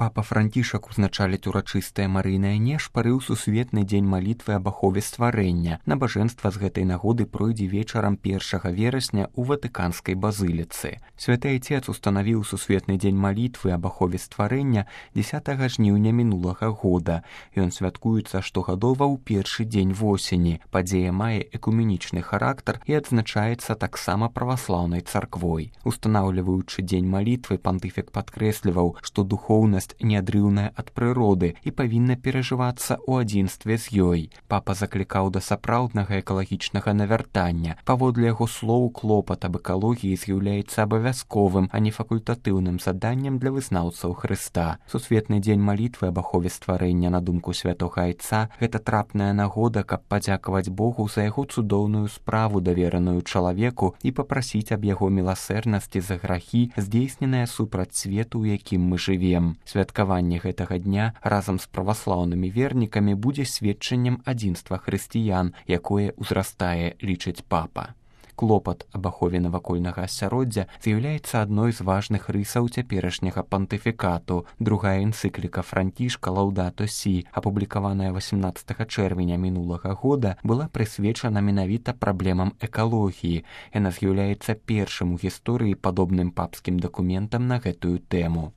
Папа Францішак узначаліць урачыстае марыйнае нешпары ў сусветны дзень малітвы аб ахове стварэння. Набажэнства з гэтай нагоды пройдзе вечарам 1 верасня ў Ватыканскай базыліцы. Святы Айцец устанавіў сусветны дзень малітвы аб ахове стварэння 10 жніўня мінулага года. Ён святкуецца штогадова ў першы дзень восені. Падзея мае экуменічны характар і адзначаецца таксама праваслаўнай царквой. Устанаўліваючы дзень малітвы, пантыфік падкрэсліваў, што духоўнасць неадрыўная ад прыроды і павінна перажывацца ў адзінстве з ёй. Папа заклікаў да сапраўднага экалагічнага навяртання. Паводле яго слоў, клопат аб экалогіі з'яўляецца абавязковым, а не факультатыўным заданнем для вызнаўцаў Хрыста. Сусветны дзень малітвы аб ахове стварэння, на думку святога Айца, гэта трапная нагода, каб падзякаваць Богу за яго цудоўную справу, давераную чалавеку, і папрасіць аб яго міласэрнасці за грахі, здзейсненыя супраць свету, у якім мы жывем. Святкаванне гэтага дня разам з праваслаўнымі вернікамі будзе сведчаннем адзінства хрысціян, якое ўзрастае, лічыць папа. Клопат аб ахове навакольнага асяроддзя з'яўляецца адной з важных рысаў цяперашняга пантыфікату. Другая энцыкліка Францішка «Лаўдато Сі», апублікаваная 18 чэрвеня мінулага года, была прысвечана менавіта праблемам экалогіі. Яна з'яўляецца першым у гісторыі падобным папскім дакументам на гэтую тэму.